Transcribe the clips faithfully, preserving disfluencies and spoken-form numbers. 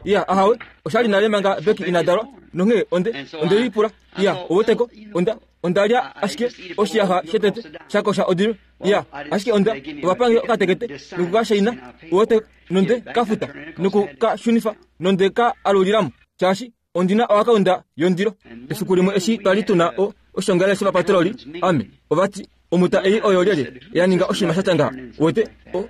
Iya, ahawe, oshali nale manga Becky ina dalwa, nonghee onde onde lipula. Iya, oweteko, onda onda lya ashike oshiyaxa shetete shakosha odilo. Iya, ashike onda ovapange okatekete nokukashaina, owete, nonde kafuta nokukashunifa nonde ka alulilamo, shaashi ondina oakaunda yondilo. Efiku limwe eshi twali tuna o oshongalele shovapatroli, ame ovati omuta ei oyo lyelye ya ninga oshinima sha tya ngaha, wete,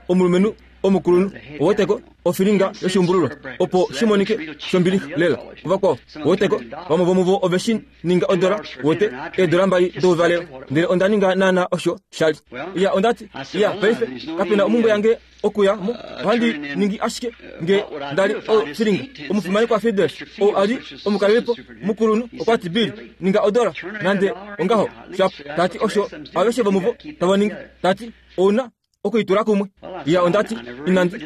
omulumenhu omukulunhu, oweteko, ofilinga yoshiumbululo, opo shi monike shombili lela kuvakwao, oweteko, vamwe vomuvo ove shi ninga odola, wete, eedola mbali douvalelo. Ndele onda ninga naana osho shali. Iya, ondati, iya, paife kapena omumbwe yange okuya mo, ohandi ningi ashike nge ndali ofilinga. Omufimanekwa Fides, ou ali omukalelipo mukulunhu, okwa ti, Bill, ninga odola nande ongaho, shapo. Tati osho aveshe vomuvo tava ningi. Tati ouna okuitula kumwe. Iya, ondati inandi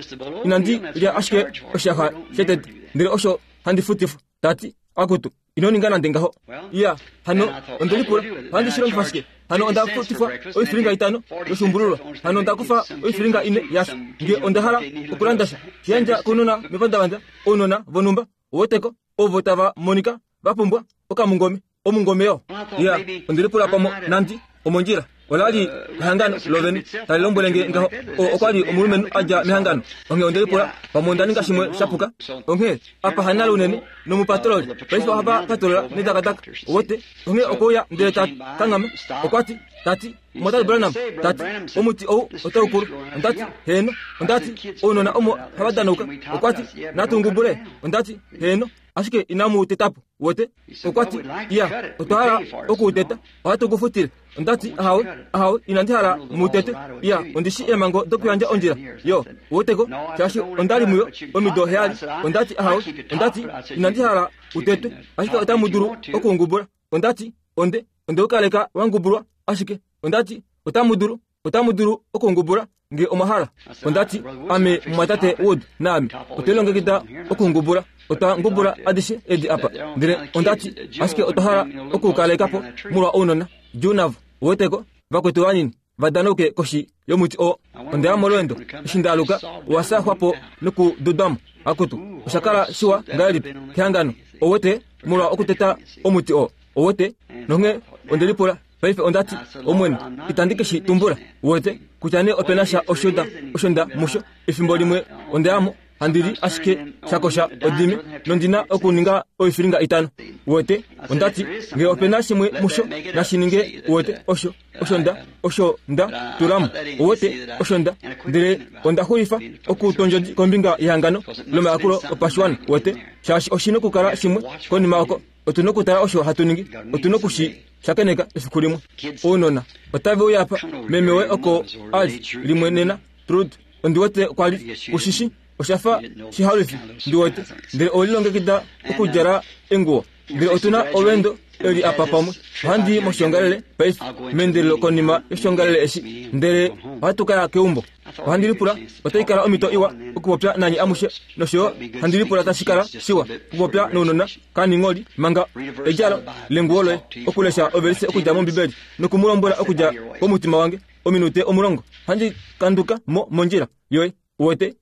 inandi lya ashike oshiyaxa shetete, ndele osho handi futifwa. Tati akutu, ino ninga nande ngaho. Iya, hano onde lipula, ohandi shi longifa shike? Hano onda futifwa oifilinga itano yoshuumbululwa, hano onda kufa oifilinga ine yasho. Nge onda hala okulanda sha, shiyandja kounona mepandavanda, ounona vonhumba, oweteko, ovo tava monika va pumbwa okamungome, omungome yo. Iya, onde lipula pamo nandi omondjila. Ola li ehangano lovene tali lombwele nge ngaho. O okwa li omulumenhu a dja mehangano. Onghee onde lipula pamwe onda ninga shimwe sha puka. Onghee apa hanale unene nomupatroli paife ohava patrola nedakadaka, owete. Onghee okwe uya ndele ta kanghama, okwa ti, tati, Mwatate Branham, tati, omuti ou otau kulu. Ondati, heeno. Ondati, ounona omo hava danauka. Okwa ti, natu ngubule. Ondati, heeno, ashike inamu teta po, wete. Okwa ti, iya, otwa hala okuuteta, ohatu ku futile. Ondati, ahawe, ahawe, inandi hala mu tete. Iya, ondi shi eemhango dokuyandja ondjila yo, weteko, shaashi onda li muyo omido heyali. Ondati, ahawe, ondati, inandi hala utetwe, ashike otamu dulu okuungubula. Ondati, onde onde ukaleka wa ngubulwa, ashike ondati otamu dulu otamu dulu okuungubula nge omwa hala. Ondati, ame mumwatate Wood naame otwe lilongekida okuungubula. Otwa ngubula adishe edi apa, ndele ondati ashike otwa hala okuukaleka po molwa ounona. Djuu navo, weteko, vakwetu vanini va danauke koshi yomuti oo. Onda ya molweendo eshi nda aluka, owa saxwa po nokududwa mo. Akutu, osha kala shiwa ngahelipi kehangano, owete, molwa okuteta omuti oo, owete. Nonghee onde lipula, paife onda ti, Omwene, itandi ke shi tumbula, wete, kutya nee ope na sha osho nda, osho nda musho. Efimbo limwe onda ya mo, handi li ashike sha kosha odime, nondi na okuninga oifilinga itano, wete. Onda ti, nge ope na shimwe musho, nashi ninge, wete, osho, osho nda, osho nda tula mo, wete, osho nda. Ndele onda xulifa okutondjodi kombinga yehangano lomayakulo opashiwana, wete, shaashi oshi nokukala shimwe konima oko. Otu nokutala osho hatu ningi, otu noku shi shakeneka efiku limwe. Ounona otave uya apa, meme woye oko a li limwe nena, Trude, ondi wete kwa li ku shi shi, osha fa shihalufi, ndi wete, ndele owe lilongekida okudjala enguwo. Ndele otu na olweendo eli apa pamwe. Ohandi i moshiongalele paife, meendelelo konima yoshiongalele eshi, ndele ohatu ka ya keumbo. Ohandi lipula otai kala omhito iwa okupopya nanye amushe, nosho yo handi lipula tashi kala shiwa okupopya nounona kaningholi manga edjalo lenguwo loye, okulesha ovelise okudja mOmbibeli noku mu lombwela okudja komutima wange ominute omulongo. Ohandi kanduka mo mondjila yoye, uwete.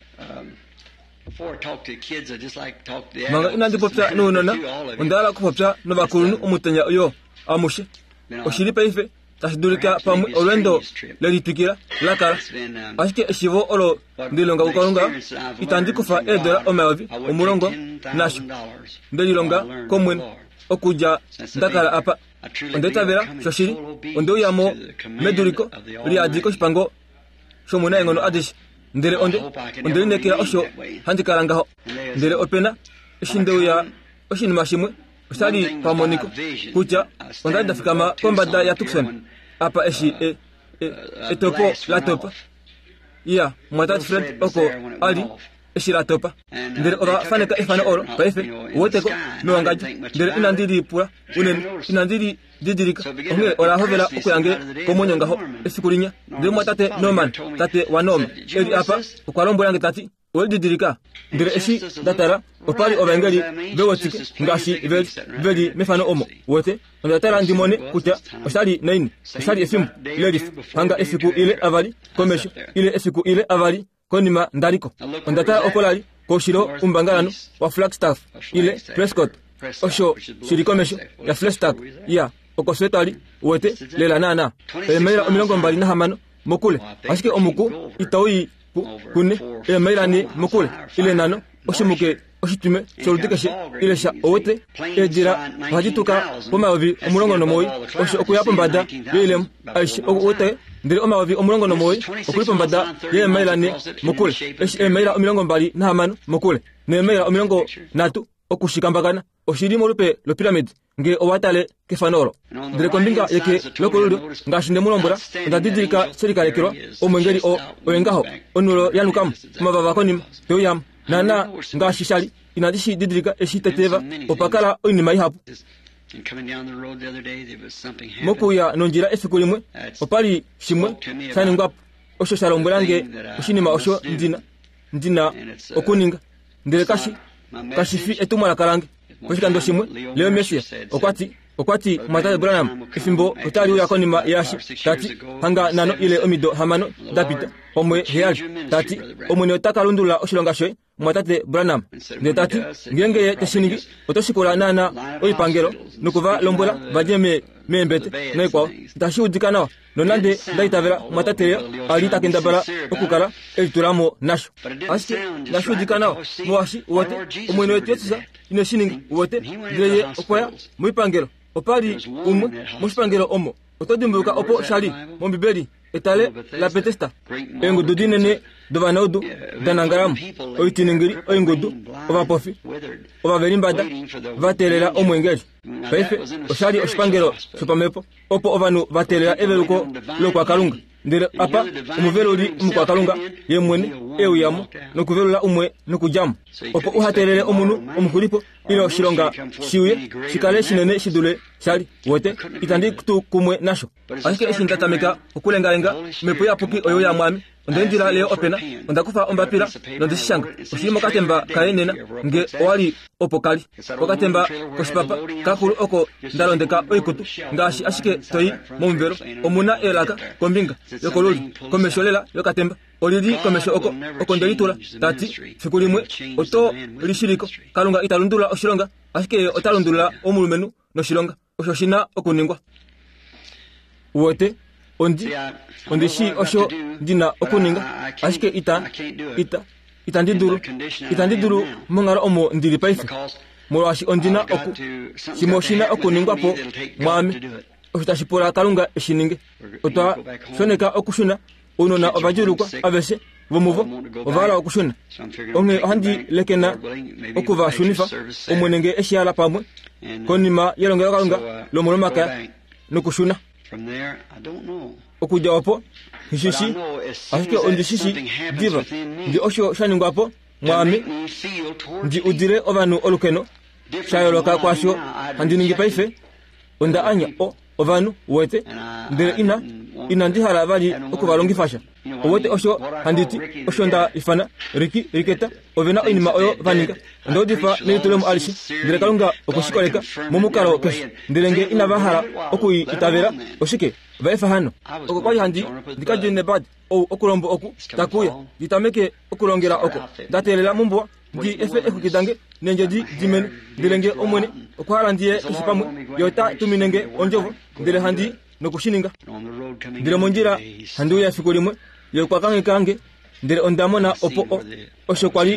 Manga inandi popya nounona, onda hala okupopya novakulunhu omutenya yo amushe. Oshili paife tashi dulika pamwe olweendo lelitwikila la kala, ashike eshivo olo nde lilonga kuKalunga, itandi kufa eedola omayovi omulongo nasho. Nde lilonga kOmwene okudja nda kala apa. Onda itavela shoshili, onde uya mo meduliko liyadi koshipango shOmunaenghono adishe, ndele onde onde lineekela osho handi kala ngaho. Ndele ope na eshi nde uya oshinima shimwe osha li pamoniko kutya onda li nda fikama kombada yaTucson apa eshi e, e, etopo la topa. Iya, mumwatate Fred oko a li eshi la topa. Ndele ova faneka efano olo paife, uweteko, mewangadjo. Ndele inandi lipula unene, inandi li didilika. Onghee ola hovela okuya nge komwenyo ngaho efiku linya. Ndele mumwatate Norman, tate waNorma, e li apa, okwa lombwela nge ta ti, Owe didilika? Ndele eshi nda tala, opa li ovaengeli ve wetike ngaashi ve li, ve li mefano omo. Wete, onda tala ndi mone kutya osha li naini. Osha li efimbo lelifa, hanga efiku ile avali komesho, ile efiku ile avali konima nda li ko. Onda tala oko la li, Koushilo umbangalanhu wa Flagstaff ile Prescott osho shili komesho ya Flagstaff ya oko fye twali uwete lela naana eemaila omilongo mbali nahamano mokule ashike omuku itau kune eemaila ne mokule ile nano oshimuke oshitume sholudi keshe ile sha owete eedila ohadi tuka pomayovi omulongo nomuwoi osho okuya pombada yoilemo aishe owete ndele omayovi omulongo nomuwoi okuli pombada yeemaila ne mokule eshi eemaila omilongo mbali nahamano mokule neemaila omilongo nhatu okushikambakana oshili molupe lopiramidi nge owatale kefano olo ndele kombinga yeke lokolulyo ngaashi nde mu lombwela onda didilika she likalekelwa omwengeli o oye ngaho onulo yanukamo omavava konima teuyamo naana ngaashi shali inandi shi didilika eshi teteva opa kala oinima ihapu mokuya nondjila efiku limwe opali shimwe sha ningwapo osho sha lombwela nge oshinima osho ndina ndina okuninga ndele kashi kashi fi etumwalaka lange koshikando shimwe Leo Messia okwati okwati mwatate Branham efimbo otali uya konima yaashi tati hanga nano ile omido hamano dapita omwe heyali tati Omwene ota ka lundulula oshilonga shoye mwatate Branham ndele tati ngeenge ye teshiningi oto shikula naana oipangelo nokuva lombwela vadje meembete noikwao itashi udika nawa nonande nda itavela mwatate Leo ali ta kendabala okukala elitulamo nasho ashike inashi udika nawa molwaashi uwete Omwene wetu Jesus ine shi ninga uwete ndele ye okwaya moipangelo opali umwe moshipangelo omo oto dimbuluka opo shali mOmbibeli etale la Betesda eengudu dinene dovanaudu danangalamo oitiningili oingudu ovapofi ovavelimbada va teelela omwengeli paife oshali oshipangelo shopamhepo opo ovanhu va teelela eveluko lokwakalunga ndele apa omuveluli omukwakalunga ye mwene euyamo nokuvelula umwe nokudjamo opo uha teelele omunhu omuxulipo ile oshilonga shiuye shikale shinene shidule shali wote itandi tu kumwe nasho ashike eshi nda tameka okulengalenga omhepo iyapuki oyo ya mwami onde ndila leo opena onda kufa ombapila nondeshishanga oshili mokatemba kaye nena nge owali opo kali okatemba koshipapa kakulu oko ndalondeka oikutu ngaashi ashike toyi momuvelo omuna elaka kombinga yokolulyo komesho lela yokatemba olili komesho oko oko ndelitula tati fiku limwe oto lishiliko Kalunga ita lundulula oshilonga ashike ye ota lundulula omulumenhu noshilonga osho shina okuningwa uwete ondi ondi shi osho ndina okuninga ashike ita ita itandi dulu itandi dulu monghalo omo ndili paife molwaashi ondina oku shimwe oshina okuningwa po mwaame osho tashi pula Kalunga eshininge otwa shoneka okushuna ounona ovadjuulukwa aveshe vomuvo ovahala okushuna onghee ohandi lekena okuvashunifa Omwene nge eshi hala pamwe konima yelongelokalunga lomolomakaya nokushuna okudja opo hishishi ashike ondishishi diva ndi osho sha ningwapo mwaame ndi udile ovanhu olukeno sha yooloka kwaasho handi ningi paife onda anya o ovanhu uwete ndele ina inandi hala vali okuvalongifa sha uwete osho handiti osho nda ifana riki riketa ovena oinima oyo vaninga onda udifa nelitulemo alishe ndele Kalunga okweshikoleka momukalo keshe ndele nge inava hala okuitavela oshike vaefa hano oko kwali handi ndikadjine bad ou okulombo oku takuya nditameke okulongela oko ndateelela mombuwa ndi efe exwiki dange nendjedi dimene ndele nge Omwene okwa hala ndiye keshe pamwe ye ota tumine nge ondjovo ndele handi nokushininga ndele mondjila handi uya efiku limwe ye okwa kangheka nge ndele onda mona opo osho kwali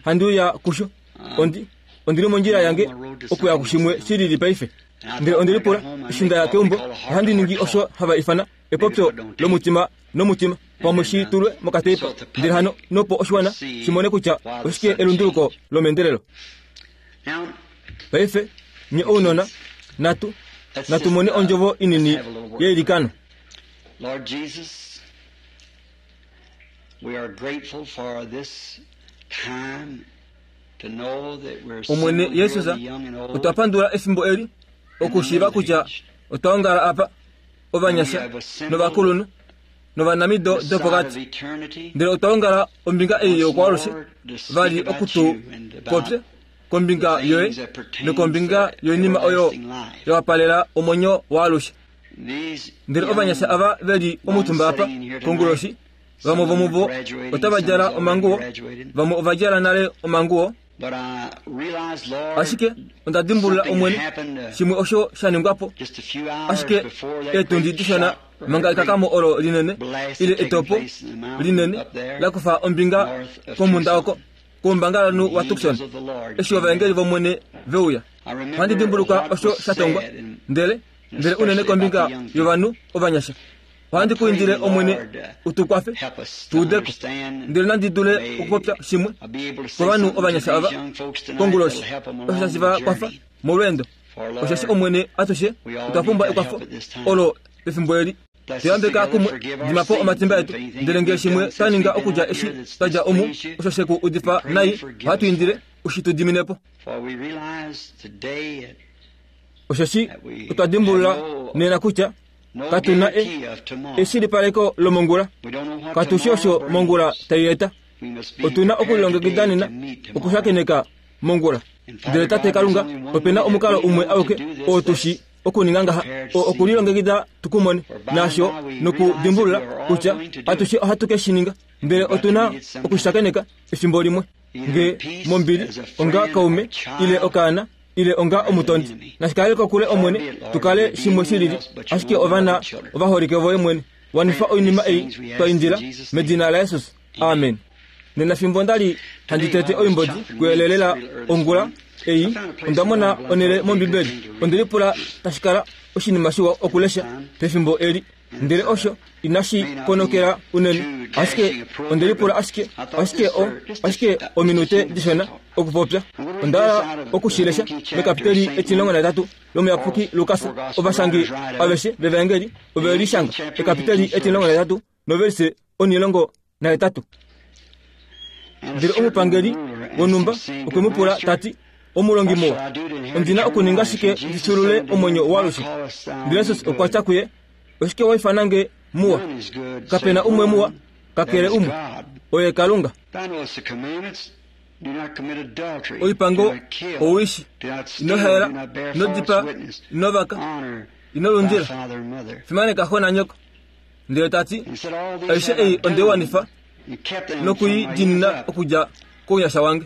handi uya kusho ondi ondili mondjila yange okuya kushimwe shilili paife ndele ondelipula eshi ndaya keumbo ohandi ningi osho hava ifana epopyo lomutima nomutima pamwe shi tulwe mokateipa ndele hano nopo oshiwana shimone kutya oshike elunduluko lomeendelelo paife nye ounona natu natu mone ondjovo inini yeilikano Lord Jesus, we are grateful for this time to know that we're Omwene Jesus otwa pandula efimbo eli okushiiva kutya otwa ongala apa ovanyasha novakulunhu novanamido dopokati ndele otwa ongala ombinga ei yokwaalushe vali okutu popye kombinga yoye nokombinga yoinima oyo yawapalela omwenyo waalushe ndele ovanyasha ava veli omutumba apa konguloshi Vamwe vomuvo otava djala omanguwo, vamwe ova djala nale omanguwo. Ashike onda dimbulula Omwene shimwe osho sha ningwa po. Ashike eetundi dishona manga ekakamo olo linene ile etopo linene la kufa ombinga komunda oko koumbangalanhu wa Tucson, eshi ovaengeli vOmwene veuya. Ohandi dimbuluka osho sha tongwa, ndele ndele unene kombinga yovanhu ovanyasha. Ohandi ku indile Omwene utukwafe tuudeko, ndele nandi dule okupopya shimwe kovanhu ovanyasha ava konguloshi, osho tashi va kwafa molweendo. Osheshi Omwene atushe otwa pumbwa ekwafo olo pefimbo eli. Tuyambeka kumwe, dima po omatimba etu, ndele ngee shimwe twa ninga okudja eshi twa dja omu, osho she ku udifa nai, ohatu indile ushi tu dimine po. Osheshi otwa dimbulula nena kutya katuna eshilipaleko lomongula, katushi osho mongula tai eta. Otuna okulilongekida nena okushakeneka mongula. Ndele Tate Kalunga, opena omukalo umwe auke oo tushi okuninga ngaha, oo okulilongekida tukumone nasho nokudimbulula kutya atushe ohatu ke shi ninga, ndele otuna okushakeneka efimbo limwe, nge mombili onga kaume ile okaana ile onga omutondi. Nashikale kokule Omwene, tukale shimwe shilili, ashike ovana ovaholike voye mwene. Wanifa oinima ei twa indila medina laJesus, amen. Nena fimbo ndali handi tete oimbodi kuyelelela ongula ei, onda mona onele mOmbibeli. Onde lipula tashi kala oshinima shiwa okulesha pefimbo eli, ndele osho inashi ponokela unene, ashike onde lipula ashike ashike o ashike ominute dishona okupopya. Onda hala okushilesha mekapiteli etimulongo nahetatu lomuyapuki Lukas. Ovashangi aveshe vevaengeli ove lishanga ekapiteli etimulongo nahetatu novelise onilongo nahetatu. Ndele omupangeli wonhumba okwe mu pula tati, omulongi muwa, ondina okuninga shike ndi fyuulule omwenyo waalushe? Ndele Jesus okwa tya kuye, oshike wa ifana nge muwa? Kapena umwe muwa kakele umwe, oye Kalunga. Oipango owishi, ino haela, ino dipaa, ino vaka, ino lundila, fimaneka xo nanyoko. Ndele tati, aishe ei onde wanifa nokuidiinina okudja kounyasha wange.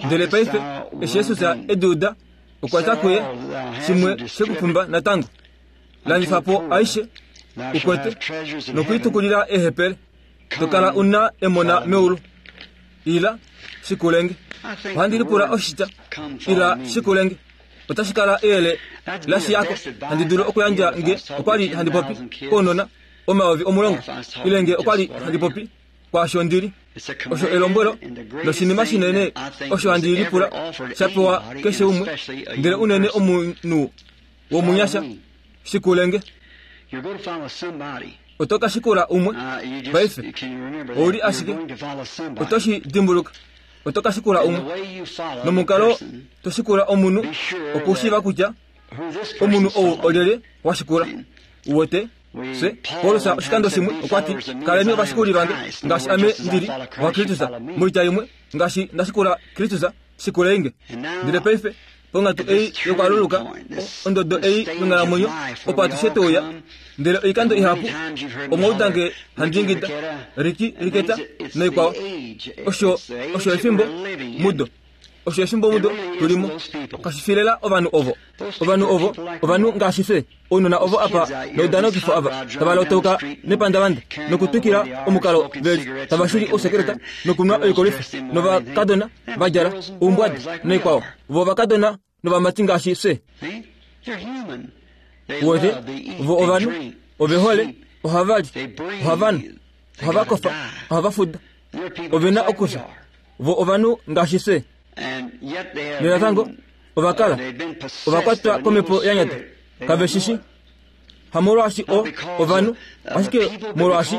Ndele paife eshi Jesus e uda, okwa tya kuye, shimwe shekupumba natango, landifa po aishe ukwete nokuitukulila eehepele, to kala una emona meulu. Ila shikulenge. Ohandi lipula oshitya ila shikulenge otashi kala eyele lashiyako handi dulu okuyandja nge okwali handi popi kounona omayovi omulongo, ile nge okwali handi popi kwaasho ndili. Osho elombwelo noshinima shinene osho handi lipula sha pewa keshe umwe, ndele unene omunhu womunyasha, shikulenge. Oto ka shikula umwe paife, ouli ashike oto shi dimbuluka. Oto ka shikula umwe nomukalo to shikula omunhu okushiiva kutya omunhu ou olyelye wa shikula. Uwete se Paulus oshikando shimwe okwa ti, kaleni ovashikuli vange ngaashi ame ndili wa Kristus. Moitya imwe, ngaashi ndashikula Kristus, shikuleinge. Ndele paife ponghatu ei yokwaluluka, ondodo ei yonghalamwenyo, opo atushe touya. Ndele oikando ihapu omwa nge handi ingida riki riketa noikwao. Osho osho efimbo mudo, osho efimbo mudo tulimo. Kashifilela ovanhu ovo, ovanhu ovo ovanhu ngaashi fye, ounona ovo apa noudanokifo ava tava lotauka nepandavanda nokutwikila omukalo veli, tava shili ousekereta nokunwa oikolifa, novakadona va djala oumbwadi noikwao. Vo ovakadona novamati ngaashi fye. Uwete, vo ovanhu ove hole, ohava li, ohava nu, ohava kofa, ohava fuda, ove na okufya. Vo ovanhu ngaashi fye. Nenatango ovakala ovakwatwa komhepo ya nyata, kave shishi. Hamolwaashi o ovanhu, ashike molwaashi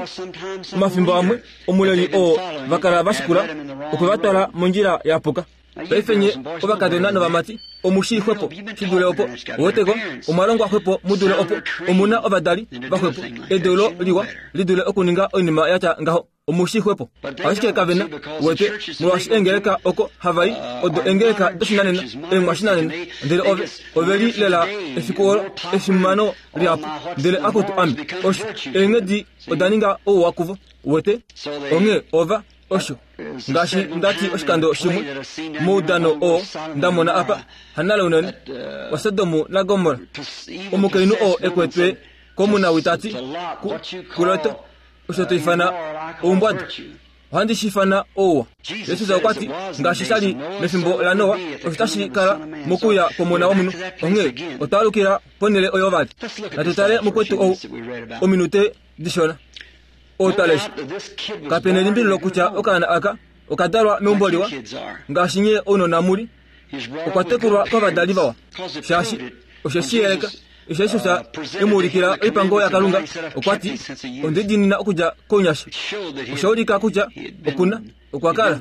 omafimbo amwe omuleli oo vakala va shikula okwe va twala mondjila ya puka. Paife nye ovakadona novamati omushi xwepo shidule opo woteko omwalongwa xwepo mudule opo omuna ovadali vaxwepo edeulo liwa lidule okuninga oinima yatya ngaho omushi xwepo. Ashike kavena wete molwaashi engeleka oko havai odo engeleka doshinanena eemwashinanena ndele ove oveli lela efiku olo efimano lihapu ndele akutu ame osho eenghedi oda ninga ouwa kuvo wete onghee ova osho ngaashi ndati oshikando shimwe moudano oo ndamona apa hanale unene waSodomu naGomora omukainhu oo ekwetwe komunawitati kuLot osho to ifana oumbwada ohandi shi ifana ouwa. Jesus okwa ti ngaashi shali mefimbo laNoa osho tashi kala mokuya kwomona womunhu. Onghee otwa alukila ponhele oyo vali. Natu tale mukwetu ou ominute dishona otalesha. Kapena elimbililo kutya okaana aka okadalwa meumbo liwa ngaashi nye ounona muli. Okwa tekulwa kovadali vawa shaashi oshe shi yeleka osho Jesus emuulikila oipango yaKalunga. Okwa ti onde diinina okudja kounyasha. Osha ulika kutya okuna okwa kala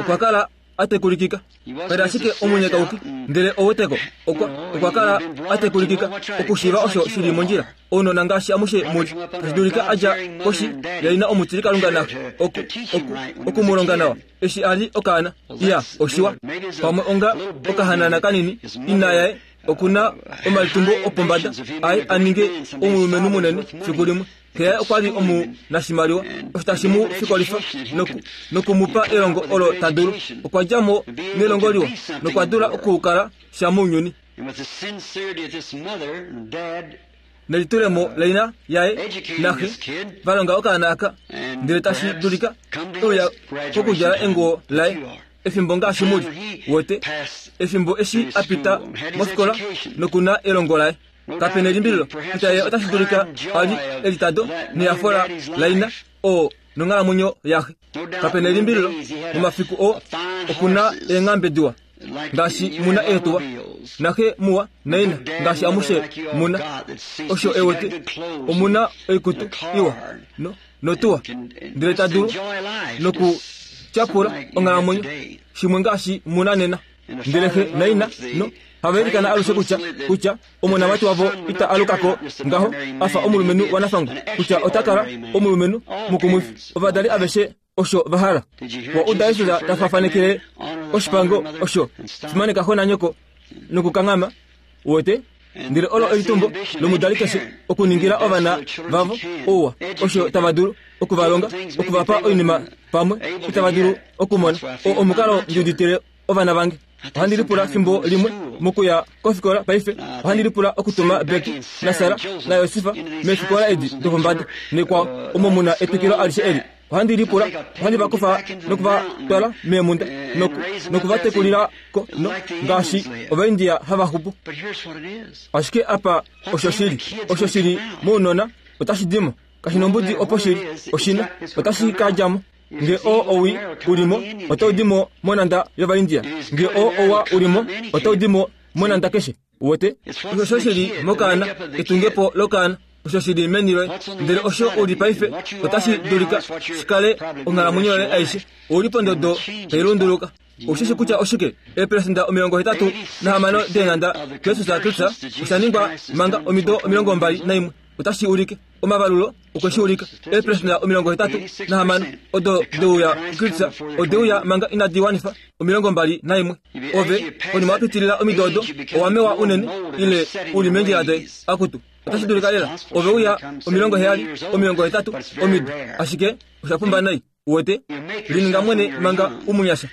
okwa kala atekulikika kali ashike omunyekauki ndele oweteko okwa okwa kala atekulikika okushiiva osho shili mondjila. Ounona ngaashi amushe muli tashi dulika adja koshi yaina omutili Kalunga naxe oku oku okumulonga nawa eshi ali okaana. Iya oshiwa pamwe onga okahanana kanini ina yaye okuna omalitumbo opombada aye aninge omulumenhu munene fiku limwe. Xe okwa li omunashimaliwa osho tashi mu fikolifa noku nokumupa elongo olo ta dulu. Okwa dja mo nelongo liwa nokwa dula okukala sha mounyuni. Nelitulemo laina yaye naxe valonga okaana aka ndele tashi dulika euya kokudjala enguwo laye efimbo ngaashi muli wete efimbo eshi apita mofikola nokuna elongo laye. Kapena elimbililo kutya ye otashi dulika ali elitado neyafola laina oo nonghalamwenyo yaxe. Kapena elimbililo momafiku oo okuna eenghambe diwa ngaashi muna eetuwa naxe muwa naina ngaashi amushe muna osho ewete omuna oikutu iwa no notuwa ndele ta dulu nokutyapula onghalamwenyo shimwe ngaashi muna nena. Ndele xe naina no havailikana alushe kutya kutya omonamati wavo ita alukako ngaho afa omulumenhu wanafangwa kutya ota kala omulumenhu mukumwifi. Ovadali aveshe osho vahala. Wa uda Jesus ta fafanekele oshipango osho fimaneka xo nanyoko nokukanghama wete ndele olo elitumbo lomudali keshe okuningila ovana vavo ouwa osho tava dulu okuvalonga okuvapa oinima pamwe itava dulu okumona. O omukalo ndiuditile ovana vange. Ohandi lipula fimbo limwe mokuya kofikola paife. Ohandi lipula okutuma Becky naSara naYosifa meefikola edi dopombada nekwao omo muna etwikilo alishe eli. Ohandi lipula ohandi vakufa nokuvatwala meemunda noku nokuvatekulilako no ngaashi Ovaindia hava xupu. Ashike apa osho shili osho shili mounona otashi dimo kashi nombudi opo shili oshina otashi ka djamo. Nge o owi ulimo otau dimo monanda yOvaindia. Nge o owa ulimo otau dimo monanda keshe wete. Osho shili mokaana etungepo lokaana osho shili meni loye ndele osho uli paife otashi dulika shikale onghalamwenyo yoye aishe. Ouli pondodo tai lunduluka. Oshishi kutya oshike eeperesenda omilongo hetatu nahamano deenhanda Jesus Kristus osha ningwa manga omido omilongo mbali naimwe. Otashi ulike omavalulo okwe shi ulika eeperesenda omilongo hetatu nahamano odo deuya Kristus odeuya manga inadi wanifa omilongo mbali naimwe. Ove konima wapitilila omido odo owamewa unene ile uli meendjila doye akutu otashi dulika lela ove uya omilongo heyali omilongo hetatu omido ashike osha pumba nai wete lininga mwene manga umunyasha.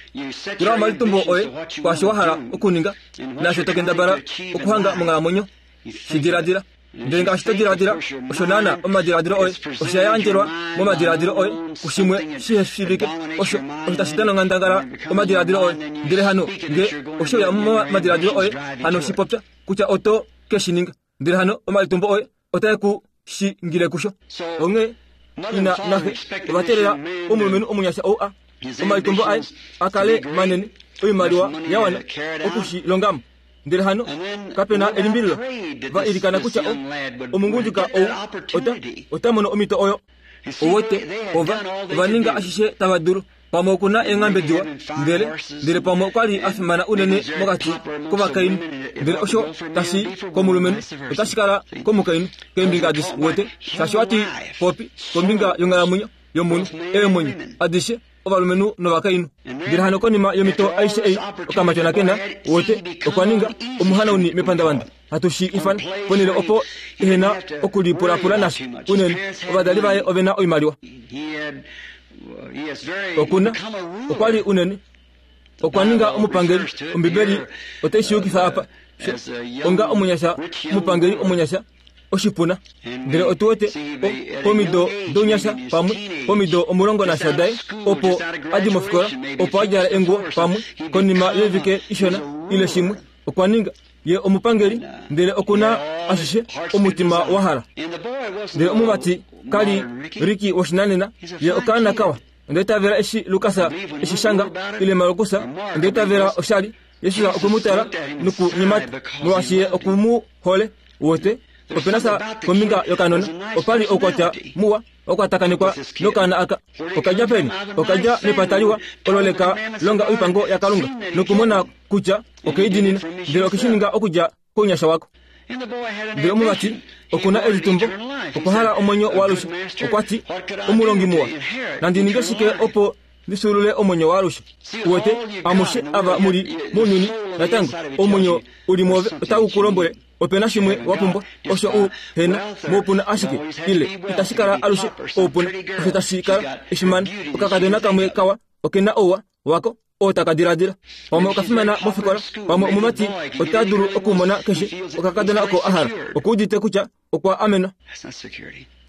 Tula omalitumbo oye kwaasho wa hala okuninga naasho to kendabala okuhanga monghalamwenyo. Shi diladila ndele ngaashi to diladila osho naana omadiladilo oye osha yandjelwa momadiladilo oye kushimwe shiheshivike osho osho tashi dana onghandangala omadiladilo oye. Ndele hano nge osho ya momadiladilo oye hano shipopya kutya oto ke shi ninga ndele hano omalitumbo oye otae ku shingile kusho. Onghee ina naxe ovatelela omulumenhu omunyasha ou a omalitumbo aye akale manene oimaliwa yawana okushilongamo. Ndele hano kapena elimbililo va ilikana kutya omungunduka ou ota ota mono omhito oyo. Owete ova ova ninga ashishe tava dulu. Pamwe okuna eenghambe diwa, ndele ndele pamwe okwa li a fimana unene mokati kovakainhu, ndele osho tashi komulumenhu otashi kala komukainhu keembinga adishe. Wete shaashi wati popi kombinga yonghalamwenyo yomunhu, eemwenyo adishe ovalumenhu novakainhu. Ndele hano konima yomito aishe ei okamatyona kena, wete okwa ninga omuhanauni mepandavanda. Hatu shi ifana ponhele opo ehena okulipulapula nasho unene. Ovadali vaye ovena oimaliwa. Okuna okwa li unene okwa ninga omupangeli. Ombibeli otai shi yukifa apa onga omunyasha, omupangeli omunyasha oshipuna. Ndele otu wete pomido dounyasha pamwe pomido omulongo nasha daye opo adi mofikola, opo a djala enguwo pamwe konima yoivike ishona ile shimwe okwa ninga ye omupangeli, ndele okuna ashishe omutima wa hala. Ndele omumati kali Riki woshinanena, ye okaana kawa. Ndele tavela eshi Lukas eshi shanga ile Markus, ndele tavela oshali Yesu okwe mu tala nokunyemata molwaashi ye oku mu hole. Wote opena sa kombinga yokanona opali oukwatya muwa okwatakanekwa nokaana aka. Okadja peni? Okadja mepata liwa olo leka longa oipango yaKalunga nokumona kutya okeidinina, ndele okeshi ninga okudja kounyasha wako. Ndele omumati okuna elitumbo, okwa hala omwenyo waalushe. Okwa ti, omulongi muwa, nandi ninge shike opo ndisulule omwenyo waalushe? Uwete amushe ava muli mounyuni natango omwenyo uli mwove otau ku lombwele opena shimwe wa pumbwa, osho u hena moupuna ashike, ile itashi kala alushe oupuna, osho tashi kala eshimana. Okakadona kamwe kawa okena ouwa wako oo taka diladila. Pamwe okafimana mofikola, pamwe omumati ota dulu okumona keshe okakadona oko a hala. Okuudite kutya okwa amenwa.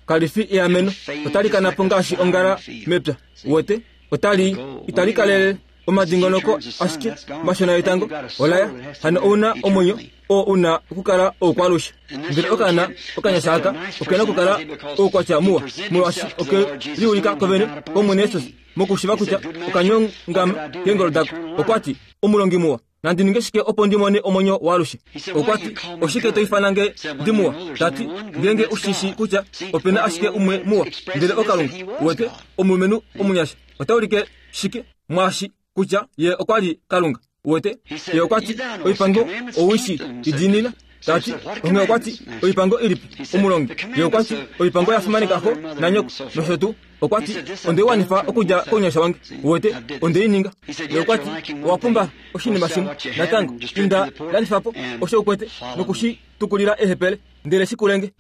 Kalifi eameno, otali kana po ngaashi ongala mepya. Wote otali itali kalele omadingonoko ashike mashona yetango olaya. Hano ouna omwenyo oo una okukala oukwalushe. Ndele okaana okanyasha aka okena okukala oukwatya muwa, molwaashi oke liulika kovene kOmwene Jesus mokushiva kutya okanyongama keengolo dako. Okwa ti, omulongi muwa, nandi ninge shike opo ndi mone omwenyo waalushe? Okwa ti, oshike to ifana nge ndi muwa? Tati, ngeenge ushishi kutya opena ashike umwe muwa, ndele oKalunga. Wete omulumenhu omunyasha ota ulike shike mwaashi kutya ye okwa li Kalunga? Wete ye okwa ti, oipango owishi idinina. Tati, onghee okwa ti, oipango ilipi omulongi? Ye okwa ti, oipango ya fimaneka xo nanyoko nosho tuu. Okwa ti, onde wanifa okudja kounyasha wange. Wete onde i ninga. Ye okwa ti, owa pumba oshinima shimwe natango, inda landifa po osho ukwete nokushi tukulila ehepele, ndele shikulenge.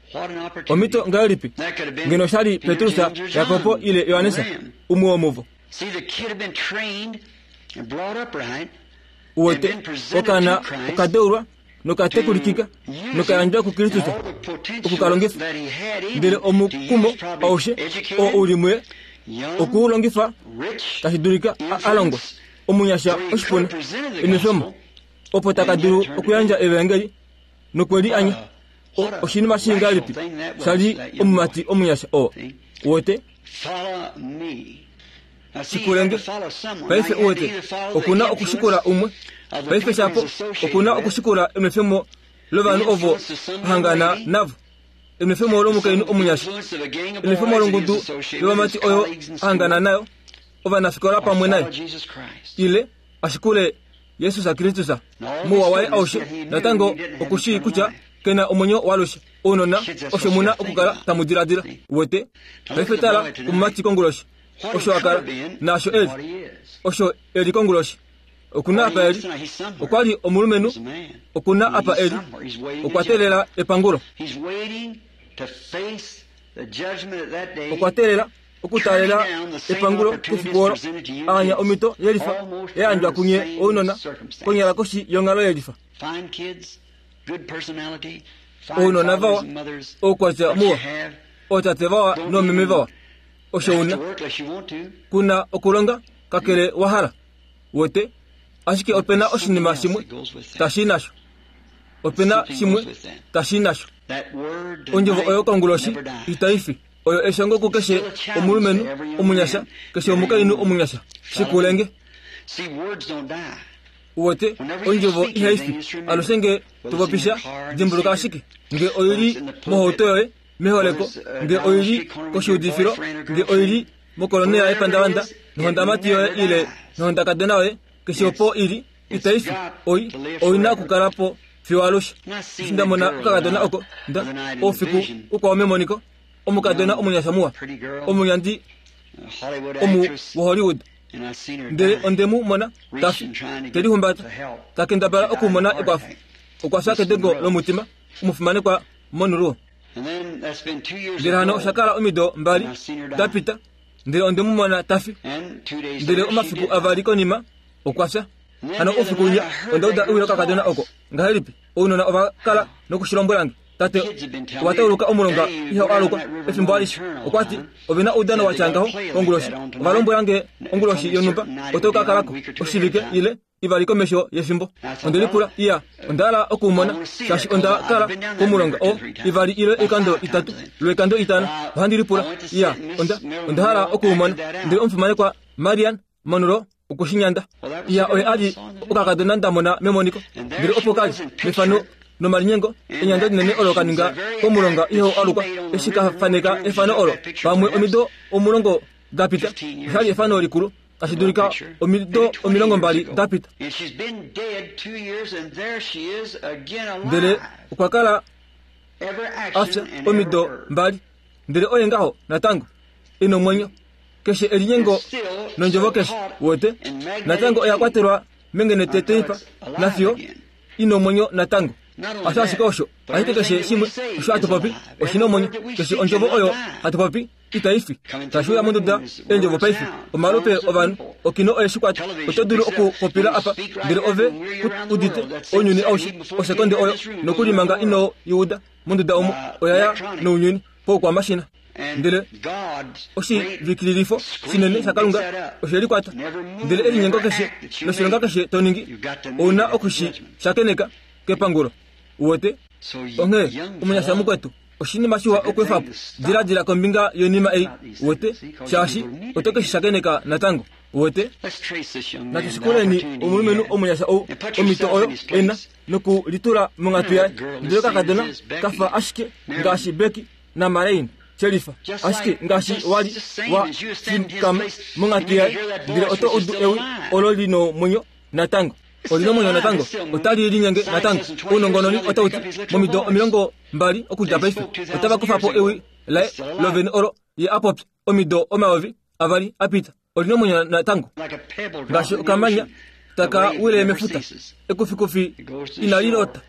Omhito ngahelipi ngeno shali Petrus, Jakobo ile Johannes, umwe womuvo? Uwete okaana okadeulwa nokatekulikika nokayandjwa kuKristus okukalongifa, ndele omukumo aushe oo uli muye okuulongifa tashi dulika a longwa omunyasha oshipuna enwefemo opo taka dulu okuyandja evangeli nokweli anya. Oshinima shii ngahelipi shali omumati omunyasha oo? Uwete shikulenge. Paife uwete okuna okushikula umwe. Paife shapo okuna okushikula enwefemo lovanhu ovo hangana navo, enwefemo lomukainhu omunyasha, enwefemo longudu yovamati oyo hangana nayo, ovanafikola pamwe naye, ile ashikule Jesus Kristus muwa waye aushe. Natango okushii kutya kena omwenyo waalushe. Ounona osho muna okukala tamu diladila. Uwete paife tala omumati konguloshi osho akala naasho eli osho eli konguloshi. Okuna apa eli okwa li omulumenhu, okuna apa eli okwa teelela epangulo, okwa teelela okutaalela epangulo kefiku olo. Aanya omhito yelifa yayandjwa kunye ounona konyala koshi yonghalo yelifa. Ounona vawa, oukwatya muwa, ootate vawa noomeme vawa, osho una kuna okulonga kakele wa hala. Wote ashike opena oshinima shimwe tashi nasho, opena shimwe tashi nasho. Ondjovo oyo konguloshi itaifi oyo eshongo kukeshe omulumenhu omunyasha, keshe omukainhu omunyasha. Shikulenge. Uwete ondjovo ihaifi alushe nge tupopisha. Dimbuluka ashike nge oili mohauto yoye meholeko, nge oili koshiudifilo, nge oili mokolonela yepandavanda nohondamati yoye ile nohondakadona yoye keshe opo ili itaifi oi oina okukala po fiyo alushe. Eshi nda mona okakadona oko nda oufiku ukwao memoniko, omukadona omunyasha muwa, omunyandi omu woHollywood, ndele onde mu mona tafi telihumbata takendabala okumona ekwafo. Okwa fya kedengo lomutima omufimanekwa Monroe. Ndele hano osha kala omido mbali dapita, ndele onde mu mona tafi, ndele omafiku avali konima okwa fya. Hano oufiku winya onda uda ewi lokakadona oko. Ngahelipi ounona ova kala nokushilombwelange, tate owa tauluka omulonga iha alukwa efimbo alishe. Okwa ti ovena oudano watya ngaho onguloshi. Ova lombwelange onguloshi yonhumba oto ka kalako oshivike ile ivali komesho yefimbo. Onde lipula iya onda hala okumona shaashi onda kala komulonga o ivali ile oikando itatu lwoikando itano. Ohandi lipula iya onda onda hala okumona. Ndele omufimanekwa Marian Monroe okushinyanda iya oye ali okakadona ndamona memoniko. Ndele opo kali mefano nomalinyengo enyanda linene olo kaninga komulonga iho alukwa eshi kafaneka efano olo pamwe omido omulongo dapita. Oshali efano likulu tashi dulika omido omilongo mbali dapita. Ndele okwa kala afya omido mbali, ndele oye ngaho natango ina omwenyo. Keshe elinyengo nondjovo keshe wote natango oya kwatelwa mengenete teipa nafiyo ina omwenyo natango. Asho ashike osho ashike keshe shimwe osho hatu popi oshina omwenyo. Keshe ondjovo oyo hatu popi itaifi. Tashiuya monduda eendjovo paife omalupe ovanhu okino oye shikwata. Oto dulu okupopila apa ndele ove udite ounyuni aushe osekonde oyo nokulimanga ino iuda monduda omo oyaya nounyuni poukwamashina. Ndele oshivikililifo shinene shaKalunga oshe likwata. Ndele elinyengo keshe noshilonga keshe toningi ouna okushi shakeneka kepangulo. Uwete onghee omunyasha mukwetu oshinima shiwa okwefapo diladila kombinga yonima ei uwete shaashi oto keshi shakeneka natango. Uwete natushikuleni omulumenhu omunyasha ou omito oyo ena nokulitula monghatu yaye. Ndele kakadona kafa ashike ngaashi Becky naMarine Sherifa ashike ngaashi wali wa fikama monghatu yaye. Ndele oto udu ewi olo lino omwenyo natango. Olina omwenyo natango otali linyenge natango. Ounongononi otauti momido omilongo mbali okudja paife otava kufa po ewi laye lovene olo ye apopya omido omayovi avali apita. Olina omwenyo natango ngaashi okamanya taka wile mefuta ekufikufi inali lota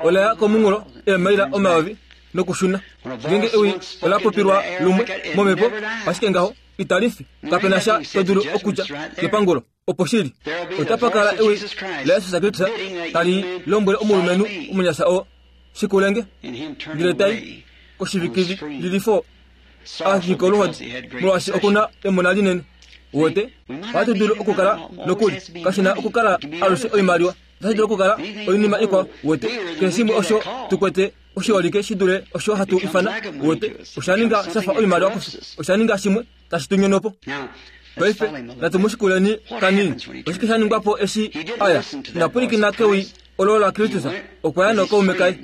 olaya komunghulo eemaila omayovi nokushuna. Ngenge ewi ola popilwa lumwe momhepo ashike ngaho italifi. Kapena sha to dulu okudja kepangulo opo shili. Otapa kala ewi la Yesus Kristus tali lombwele omulumenhu omunyasha oo shikulenge ndele tai koshivikililifo ashike oluhodi molwaashi okuna emona linene. Uwete ohatu dulu okukala nokuli kashina okukala alushe oimaliwa, otashi dulu okukala oinima ikwao. Uwete keshe shimwe osho tukwete oshiholike shi dule osho hatu ifana. Uwete osha ninga shafa oimaliwa kufye, osha ninga shimwe tashi tu nyono po. Paife natumushikuleni kanini. Oshike sha ningwa po eshi aya inapwilikina kewi olo la Kristus okwa ya nokaume kaye.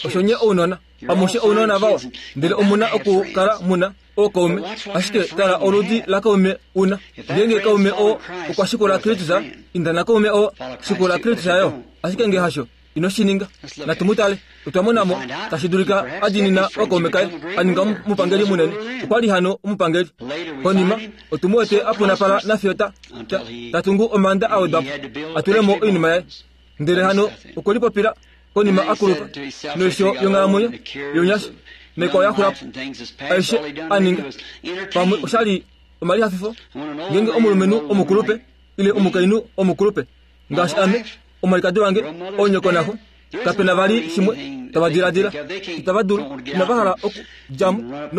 Osho nye ounona amushe ounona vawa, ndele omuna okukala muna ookaume. Ashike tala oludi lakaume una. Ngenge kaume oo okwa shikula Kristus, inda nakaume oo shikula Kristus yo. Ashike nge hasho ino shininga. Natumutale otwa monamo tashi dulika adinina okaume kaye aninga omupangeli munene. Okwa li hano omupangeli. Konima otumuwete apunapala nafiyo ta tatungu omanda awedwapo atulemo oinima yaye. Ndele hano okwe lipopila konima akulupa noisho yonghalamwenyo yonyasha naikwao yaxulapo aishe aninga pamwe oshali omalihafifo. Ngenge omulumenhu omukulupe ile omukainhu omukulupe ngaashi ame omwalikadi wange onyoko naxo kapena vali shimwe tava diladila itava dulu inava hala okudjamo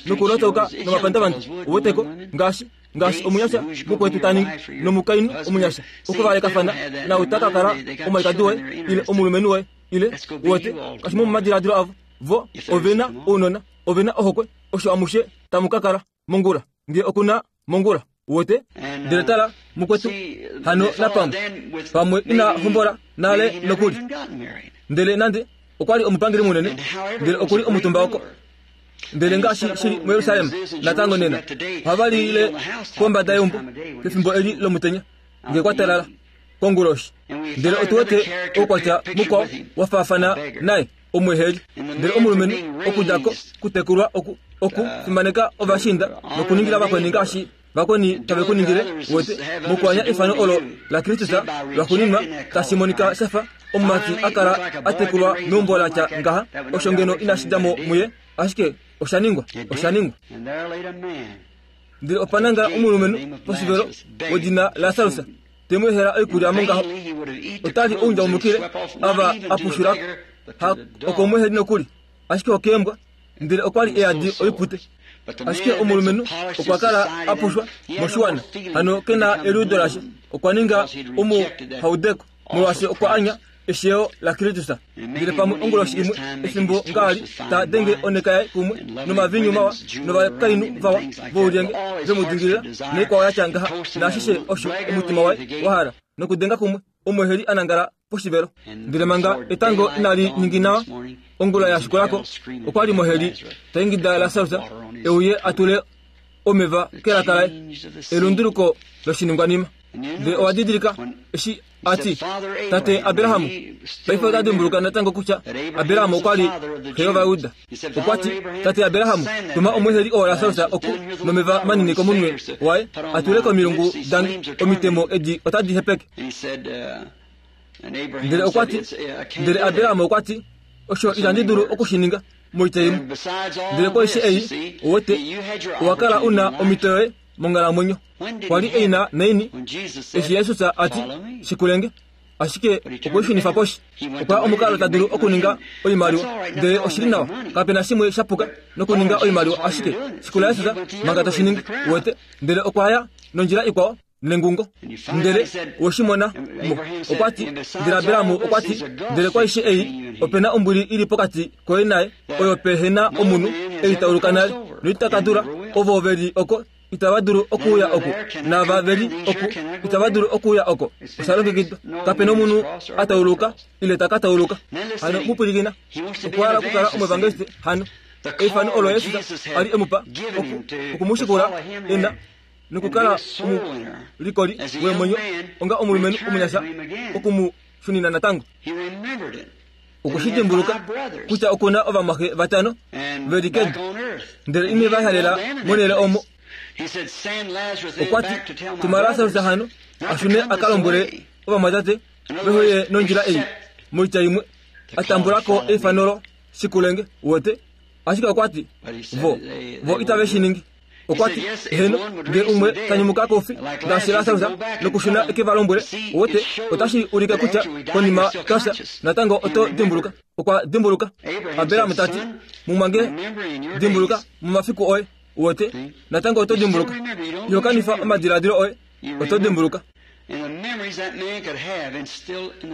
nokulotauka nomapandavanda. Uweteko ngaashi ngaashi omunyasha mukwetu taningi nomukainhu omunyasha okuvalekafana nau taka kala omwalikadi woye ile omulumenhu woye ile uwete kashi momadiladilo avo vo ovena ounona ovena ohokwe osho amushe tamu ka kala mongula nge okuna mongula. Uwete ndele tala mukwetu hano napamwe pamwe ina hombola nale nokuli. Ndele nande okwa li omupangeli munene, ndele okuli omutumba oko Ndele ngaashi shili muJerusalem natango nena, ohava lile kombada yeumbo pefimbo eli lomutenya nge kwa talala konguloshi. Ndele otu wete oukwatya mukwao wa faafana naye omweheli. Ndele omulumenhu okudja ko kutekulwa oku okufimaneka ovashinda nokuningila vakweni ngaashi vakweni tave kuningile wete mokuanya efano olo la Kristus lwaxuuninwa tashi monika shafa omumati a kala a tekulwa meumbo la tya ngaha, osho ngeno inashi dja mo muye, ashike osha ningwa, osha ningwa. Ndele opa nangala omulumenhu poshivelo wedina Lasarus te mu ehela oikulya mongaho, otali oundjaumukile ava a pushulako, ha okomweheli nokuli, ashike okeembwa. Ndele okwa li eyadi oipute. Ashike omulumenhu okwa kala a pushwa moshiwana, hano kena eliudo lashe, okwa ninga omuhaudeko molwaashi okwa anya eshiyo la Kristus. Ndele pamwe onguloshi imwe efimbo ngaali ta denge oneka yaye kumwe nomavinyu mawa novakainhu vawa voulyenge vemudingilila noikwao yatya ngaha, naashishe osho omutima waye wa hala nokudenga kumwe omweheli a nangala poshivelo. Ndele manga etango inali ningina ongula ya shikulako, okwa li moheli ta ingida Lasarus euye a tule omeva kelaka laye, elunduluko loshiningwanima. Ndele owa didilika eshi ati tate Abrahamu, paife ota dimbuluka natango kutya Abrahamu okwa li xe yOvayuda. Okwa ti tate Abrahamu, tuma omweheli oo Lasarus oku nomeva manini komunwe waye a tule komilungu dange, omitemo edi otadi hepeke. Ndele okwa ti, ndele Abrahamu okwa ti, osho itandi dulu okushininga moitya imwe. Ndele koishe ei owete owa kala una omito yoye monghalamwenyo. Kwa li eina naini eshi Jesus a ti shikulenge, ashike okwishunifa poshi. Okwa omukalo ta dulu okuninga oimaliwa, ndele oshili nawa kapena shimwe sha puka nokuninga oimaliwa, ashike shikula Jesus manga toshiningi wete. Ndele okwa ya nondjila ikwao nengungo. Ndele weshimona mo okwa ti, ndele Abrahamu okwa ti, ndele kwaishe ei opena ombwili ili pokati koye naye, oyo pehena omunhu ei tauluka nale noitaka dula ovo veli oko itava dulu okuuya oku, nava veli oku itava dulu okuuya oko. Osha longekidwa, kapena omunhu a tauluka ile taka tauluka. Hano mupwilikina, okwa hala okukala omuevangeliste hano eifano olo Jesus a li emupa oku okumushikula ena nokukala omulikoli wemwenyo onga omulumenhu omunyasha okumushunina natango. Okushidimbuluka kutya okuna ovamwaxe vatano veli kedu, ndele ine va halela monhele omo. Okwa ti tuma Lasarus hano ashune a ka lombwele ovamwatate vehoye nondjila ei moitya imwe a tambulako eifano lo shikulenge wete. Ashike okwa ti vo vo itave shi ningi. Okwa ti heno nge umwe ta nyumuka koufi ngaashi Lasarus nokushuna eke va lombwele wete, otashi ulike kutya konima twafya natango oto dimbuluka. Okwa dimbuluka. Abrahamu ta ti mumwange dimbuluka momafiku oye wete, natango oto dimbuluka. Iho kanifa omadiladilo oye, oto dimbuluka.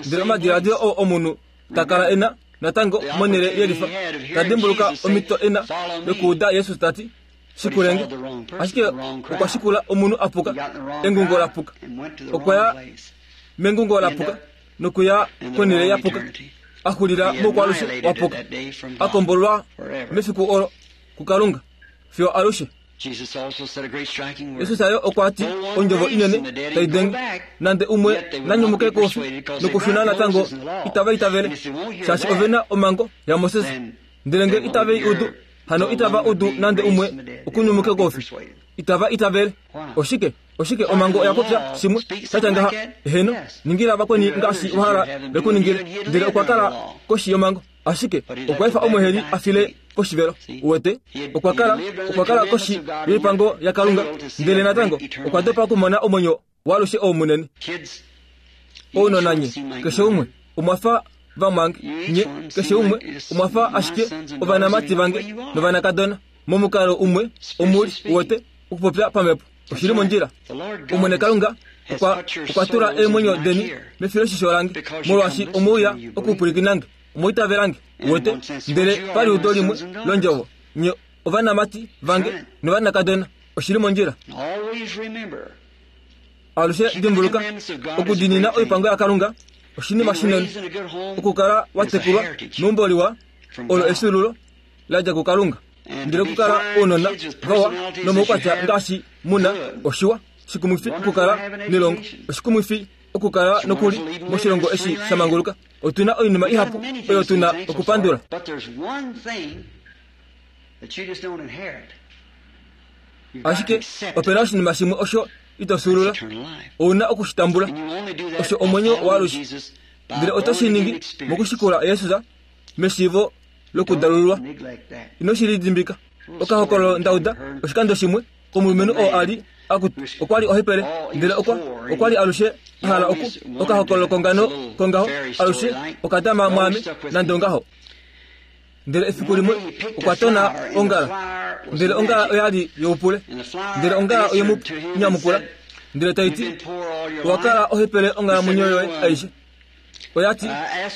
Ndele omadiladilo oo omunhu ta kala ena natango monhele yelifa, ta dimbuluka omito ena yokuuda Jesus ta ti shikulenge, ashike okwa shikula omunhu a puka, engungo la puka. Okwa ya mengungo la puka nokuya konhele ya puka, a xulila moukwalushe wa puka, a kombolwa mefiku olo kuKalunga fiyo alushe. Jesus ayo okwa ti ondjovo inene tai denge, nande umwe nanyumuke koufi nokushuna natango itava itavele, shaashi ovena omhango yaMoses. Ndele nge itave i udu, hano itava udu nande umwe okunyumuke koufi, itava itavele. Oshike oshike omhango oya popya shimwe shatya ngaha? Heno, ningila vakweni ngaashi wa hala vekuningile. Ndele okwa kala koshi yomhango, ashike okwa efa omweheli a file poshivelo. Wete okwa kala okwa kala koshi yoipango yaKalunga, ndele natango okwa dopa okumona omwenyo waalushe oo munene. Ounona nye keshe umwe omwafa vamwange, nye keshe umwe omwafa ashike ovanamati vange novanakadona momukalo umwe omuli wete okupopya pamhepo. Oshili mondjila. Omwene Kalunga okwa okwa tula eemwenyo deni mefiloshisho lange, molwaashi omouya okupwilikinange, omoitavelange wete. Ndele paliudo limwe londjovo, nye ovanamati vange novanakadona. Oshili mondjila. Alushe dimbuluka okudinina oipango yaKalunga oshinima shinene. Okukala wa tekulwa meumbo liwa olo efyuululo la dja kuKalunga. Ndele okukala ounona vawa nomaukwatya ngaashi muna oshiwa. Shikumwifi okukala nelongo. Oshikumwifi okukala nokuli moshilongo eshi sha manguluka. Otuna oinima ihapu oyo tuna okupandula. Ashike opena oshinima shimwe osho ito fyuulula. Ouna okushitambula. Osho omwenyo waalushe. Ndele oto shi ningi mokushikula Jesus meshiivo lokudalululwa. Ino shi lidimbika. Okahokololo ndauda oshikando shimwe komulumenhu oo a li akutu okwa li ohepele, ndele okwa okwa li alushe a hala oku okahokololo kongano kongaho alushe okadama mwaame nande ongaho. Ndele efiku limwe okwa tona ongala, ndele ongala oya li youpule, ndele ongala oye mu nyamukula ndele tai ti, owa kala ohepele onghalamwenyo yoye aishe. Oya ti,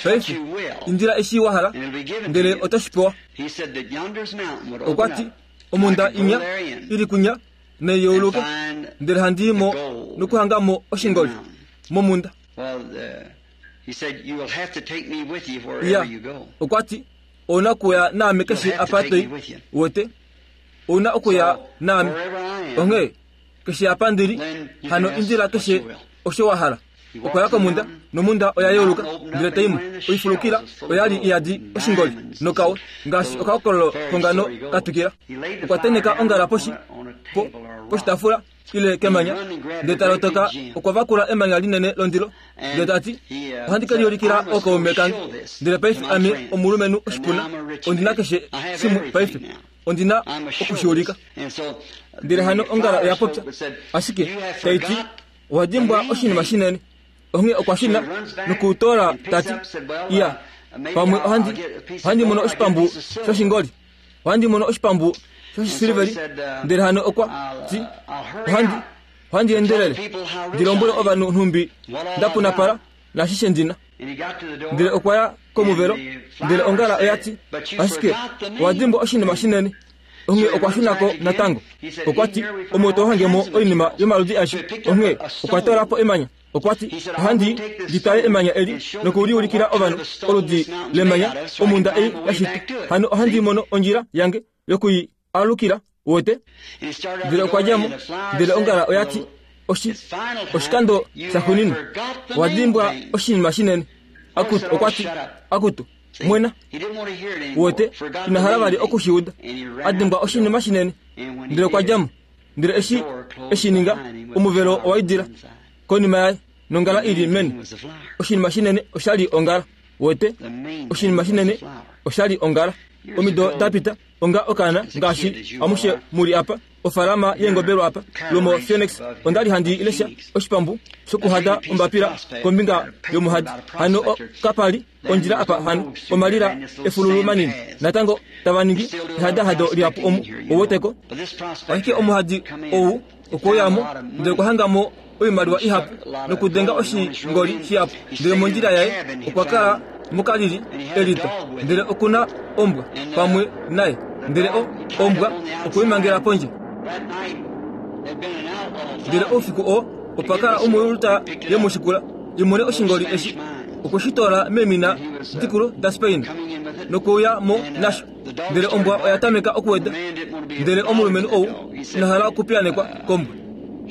paife indila eshi wa hala, ndele oto shi pewa. Okwa ti, omunda inya ili kunya neyouluke, ndele handi mo nokuhanga mo oshingoli momunda. Ya, okwa ti, ouna okuya naame keshe apa toi, wete, ouna okuya naame. Onghee keshe apa ndili, hano indila keshe osho wa hala. Okwa ya komunda, nomunda oya yeuluka, ndele taimo oifulukila oya li iyadi oshingoli nokawe, ngaashi okahokololo kongano katukila. Okwa teneka ongala poshi po poshitaafula ile kemanya, ndele ta lotoka okwa vakula emanya linene londilo, ndele ta ti, ohandi ke liulikila ookaume kange. Ndele paife ame omulumenhu oshipuna, ondina keshe shimwe paife, ondina okushiulika. Ndele hano ongala oya popya, ashike tai ti, owa dimbwa oshinima shinene. Onghee okwa shuna nokutola ta ti, iya, pamwe ohandi ohandi mono oshipambu shoshingoli, ohandi mono oshipambu shoshisiliveli. Ndele hano okwa ti, ohandi ohandi endelele ndi lombwele ovanhu nhumbi nda punapala nashishe ndina. Ndele okwa ya komuvelo, ndele ongala oya ti, ashike owa dimbwa oshinima shinene. Onghee okwa shunako natango. Okwa ti, omo to hange mo oinima yomaludi aishe. Onghee okwa tola po emanya. Okwa ti, ohandi ndi tale emanya eli nokuliulikila ovanhu oludi lemanya omunda ei ya shitwa. Hano ohandi mono ondjila yange yokuyi alukila, wote. Ndele okwa dja mo, ndele ongala oya ti, oshi oshikando shaxuuninwa, owa dimbwa oshinima shinene. Akutu, okwa ti, akutu, mwena, wote, ina hala vali okushiuda. A dimbwa oshinima shinene. Ndele okwa dja mo. Ndele eshi eshi ninga, omuvelo owa idila konima yaye, nongala ili meni. Oshinima shinene oshali ongala, wote. Oshinima shinene oshali ongala. Omido dapita, onga okaana ngaashi amushe muli apa, ofalama yeengobelwa apa lomo Phoenix, onda li handi lesha oshipambu shokuhada ombapila kombinga yomuhadi. Hano kapali ondjila apa, hano omalila efululu manini natango tava ningi ehadahado lihapu omu oweteko. Ashike omuhadi ou okwoyamo, ndele okwa hanga mo oimaliwa ihapu nokudenga oshingoli shihapu. Ndele mondjila yaye okwa kala mokalili elita, ndele okuna ombwa pamwe naye, ndele o ombwa okweimangela pondje. Ndele oufiku oo opa kala omuyuluta yemushikula imone oshingoli eshi okweshitola meemina dikulu daSpain nokuuya mo nasho. Ndele ombwa oya tameka okuweda, ndele omulumenhu ou ina hala okupiyanekwa kombwa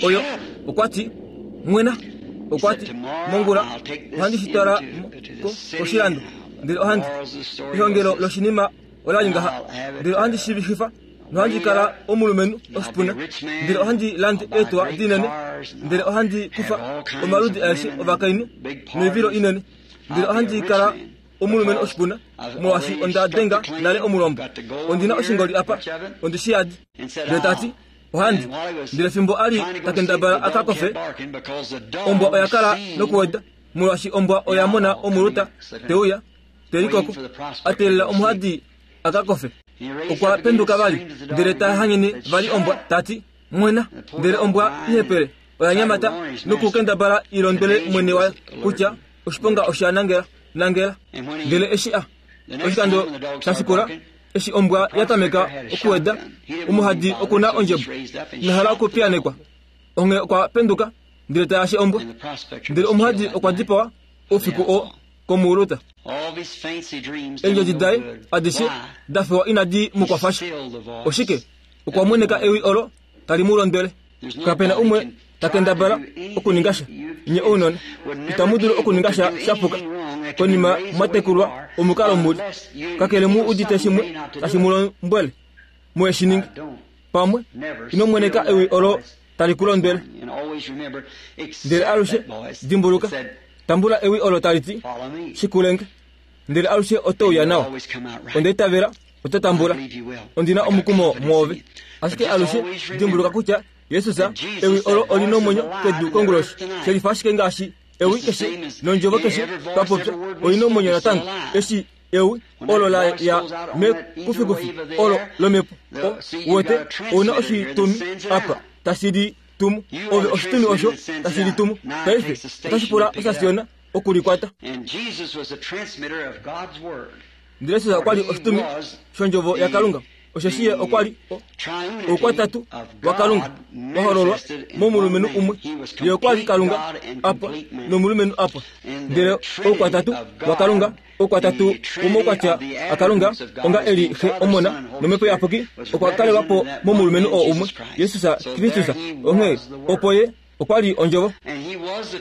oyo. Okwa ti, mwena. Okwa ti, mongula ohandi shitwala koshilando, ndele ohandi ehongelo loshinima ola li ngaha, ndele ohandi shivififa nohandi kala omulumenhu oshipuna, ndele ohandi lande eetuwa dinene, ndele ohandi kufa omaludi aeshe ovakainhu noivilo inene, ndele ohandi kala omulumenhu oshipuna, molwaashi onda denga nale omulombo. Ondina oshingoli apa, ondi shi yadi. Ndele ta ti, ohandi. Ndele fimbo a li ta kendabala a ka kofe, ombwa oya kala nokuweda, molwaashi ombwa oya mona omuluta te uya te likoko, a teelela omuhadi a ka kofe. Okwa penduka vali, ndele ta hanyene vali ombwa, ta ti, mwena. Ndele ombwa ihepele oya nyamata nokukendabala i londwele mwene wayo kutya oshiponga osha nangela nangela. Ndele eshi a oshikando sha shikula, eshi ombwa ya tameka okuweda, omuhadi okuna ondjebo, ina hala okupiyanekwa. Onghee okwa penduka, ndele ta yashe ombwa. Ndele omuhadi okwa dipawa oufiku oo komuuluta. Eendjodi daye adishe da fewa inadi mu kwafa sha. Oshike? Okwa mweneka ewi olo tali mu londwele. Kapena umwe ta kendabala okuninga sha. Nye ounona itamu dulu okuninga sha shapuka konima mwatekulwa omukalo muli. Kakele mu udite shimwe tashi mu lombwele muye shi ninge. Pamwe ino mweneka ewi olo tali ku londwele. Ndele alushe dimbuluka, tambula ewi olo tali ti shikulenge. Ndele alushe oto uya nawa. Onda itavela oto tambula. Ondina omukumo mwoove. Ashike alushe dimbuluka kutya Jesus ewi olo oli nomwenyo kedu konguloshi. Shelifa ashike ngaashi ewi keshe nondjovo keshe twapopya oli nomwenyo natango. Eshi ewi olo la ya mekufikufi olo lomhepo wote ouna oshitumi apa tashi li tumu. Ove oshitumi osho tashi li tumu. Paife otashi pula osasiona okulikwata. Ndele Jesus okwa li oshitumi shondjovo yaKalunga. Osheshi ye okwa li oukwatatu waKalunga wa hololwa momulumenhu umwe. Ye okwa li Kalunga apa nomulumenhu apa. Ndele oukwatatu waKalunga, oukwatatu womaukwatya aKalunga, onga eli Xe, Omona nOmhepo Iyapuki, okwa kalelwa po momulumenhu oo umwe, Jesus Kristus. Onghee opo ye okwa li ondjovo.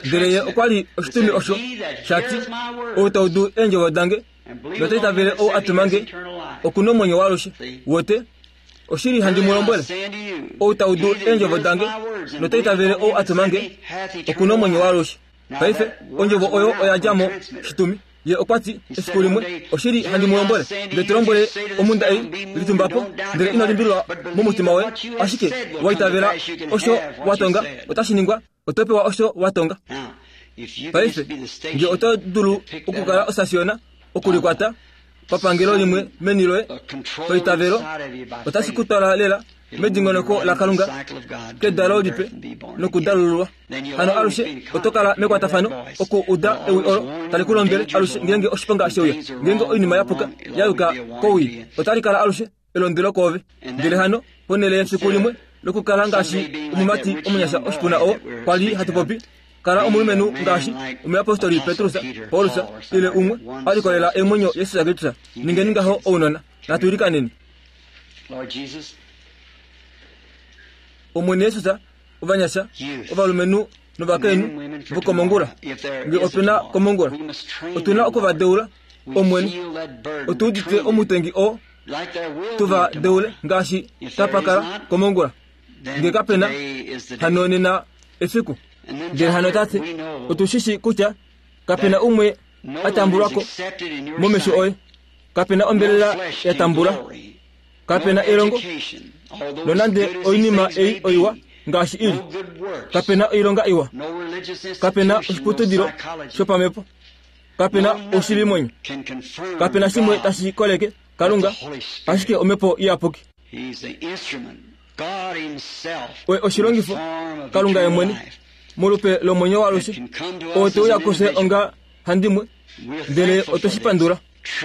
Ndele ye okwa li oshitumi osho sha ti, ou ta udu eendjovo dange nota itavele ou a tuma nge, oku nomwenyo waalushe. Wote, oshili handi mu lombwele, ou ta udu eendjovo dange nota itavele ou a tuma nge, oku nomwenyo waalushe. Paife ondjovo oyo oya dja mo shitumi. Ye okwa ti efiku limwe, oshili handi mu lombwele, ndele to lombwele omhunda ei, litumba po, ndele ino limbililwa momutima woye, ashike wa itavela osho wa tonga, otashi ningwa, oto pewa osho wa tonga. Paife nge oto dulu okukala osasiona okulikwata papangelo limwe meni loye paitavelo, otashi ku twala lela medingonoko laKalunga kedalo lipe nokudalululwa. Hano alushe oto kala mekwatafano oku uda ewi olo tali ku londwele alushe ngeenge oshiponga sheuya, ngeenge oinima yapuka ya yuka kowii, otali kala alushe elondwelo koove. Ndele hano ponhele yefiku limwe lokukala ngaashi omumati omunyasha oshipuna oo kwa li hatu popi, kala omulumenhu ngaashi omuyapostoli Petrus, Paulus ile umwe a likolela eemwenyo Jesus Kristus. Ningeni ngaho ounona. Natu ilikaneni. Omwene Jesus, ovanyasha, ovalumenhu novakainhu vokomongula, nge opena komongula, otuna okuvadeula. Omwene, otu udite omutengi oo tuva deule ngaashi tapakala komongula. Nge kapena, hano nena efiku. Ndele hano tate, otu shishi kutya kapena umwe a tambulwako momesho oye, kapena ombelela ya tambula, kapena elongo, nonande oinima ei oiwa ngaashi ili, kapena oilonga iwa, kapena oshiputudilo shopamhepo, kapena oshilimwenyo, kapena shimwe tashi koleke Kalunga, ashike Omhepo Iyapuki. Oye oshilongifo, Kalunga ye mwene, molupe lomwenyo waalushe, oo te uya kufye onga handimwe, ndele otwe shi pandula.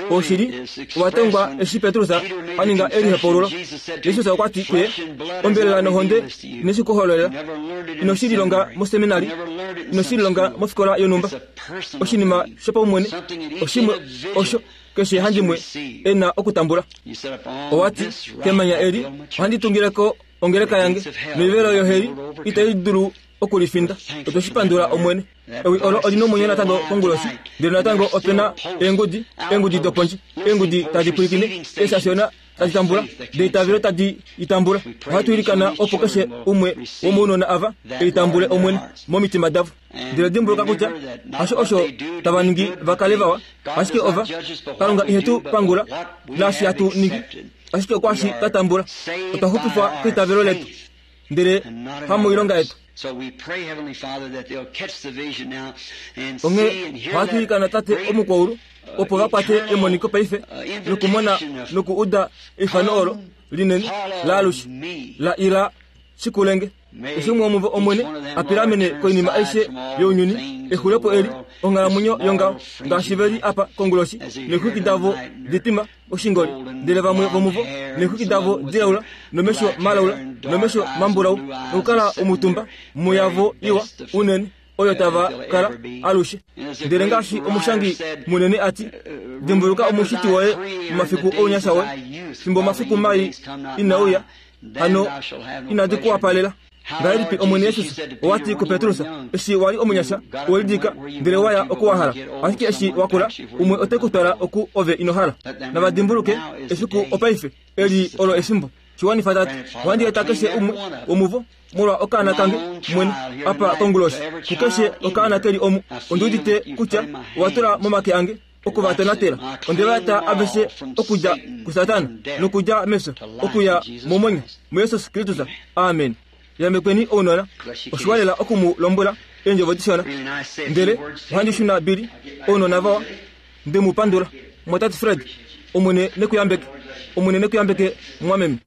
Oshili owa tongwa eshi Petrus a ninga elihepaululo. Jesus okwa ti kuye, ombelela nohonde ine shi ku hololela, ino shi lilonga moseminari, ino shi lilonga mofikola yonhumba. Oshinima shopaumwene, oshimwe osho keshe handimwe e na okutambula. Owa ti, kemanya eli ohandi tungileko ongeleka yange, noivelo yoheli itai dulu okulifinda. Otwe shi pandula Omwene. Ewi olo oli nomwenyo natango konguloshi, ndele natango opena eengudi, eengudi dopondje, eengudi tadi pwilikine, eesasiona tadi tambula, deitavelo tadi itambula. Ohatu ilikana opo keshe umwe womounona ava eitambule Omwene momitima davo. Ndele dimbuluka kutya hasho osho tava ningi va kale vawa, ashike ova Kalunga ihetu pangula naashi hatu ningi, ashike okwashi twa tambula. Otwa xupifwa keitavelo letu, ndele hamoilonga yetu. Onghee ohatu ilikana Tate omukwaulu opo va kwate emoniko paife nokumona nokuuda eifano olo linene laalushe la ila shikulenge. Eshi umwe womuvo Omwene a pilamene koinima aishe younyuni, exulepo eli onghalamwenyo yongaho, ngaashi ve li apa konguloshi neexwiki davo ditima oshingoli, ndele vamwe vomuvo neexwiki davo dilaula nomesho malaula nomesho mambulau, nokukala omutumba muyavo iwa unene, oyo tava kala alushe. Ndele ngaashi omushangi munene ati, dimbuluka omushiti woye momafiku ounyasha woye, fimbo omafiku mai inauya, hano inadi ku wapalela. Ngahelipi Omwene Jesus owati kuPetrus, eshi wali omunyasha, owelidika ndele waya oku wa hala, ashike eshi wakula, umwe ote ku twala oku ove ino hala. Nava dimbuluke efiku opaife, eli olo efimbo. Shiwanifa tati, ohandi eta keshe umwe womuvo molwa okaana kange mwene apa konguloshi. Kukeshe okaana keli omu, ondi udite kutya owa tula momake ange okuvatonatela. Onde va eta aveshe okudja kuSatana nokudja mefyo okuya momwenyo muJesus Kristus. Amen. Yambekweni ounona, oshiwa lela oku mu lombwela eendjovo dishona. Ndele ohandi shuna Billy, ounona vawa, nde mu pandula. Mwatate Fred, Omwene nekuyambeke. Omwene nekuyambeke, mwameme.